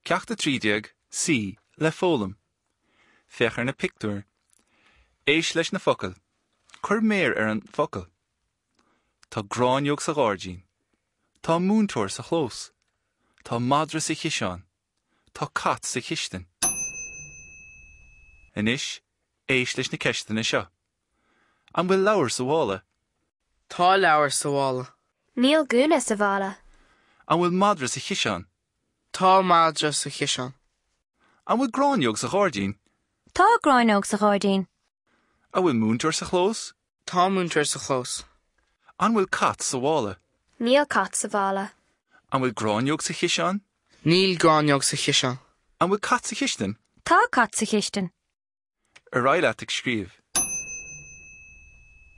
Ceacht 13, C, le foghlaim. Féach ar na pictiúir. Éist leis na focail. Cuir méar ar an bhfocal. Tá gráinneog sa ghairdín. Tá múinteoir sa chlós. Tá madra sa chiseán. Tá cat sa chistin. Anois, éist leis na ceisteanna seo. An bhfuil leabhar sa mhála? Tá leabhar sa mhála. Níl gúna sa mhála. An bhfuil madra sa chiseán? Tá madra sa chiseán. An bhfuil gráinneog sa ghairdín? Tá gráinneog sa ghairdín. An bhfuil múinteoir sa chlós? Tá múinteoir sa chlós. An bhfuil cat sa mhála? Níl cat sa mhála. An bhfuil gráinneog sa chiseán? Níl gráinneog sa chiseán. An bhfuil cat sa chistin? Tá cat sa chistin. Ar aghaidh leat ag scríobh.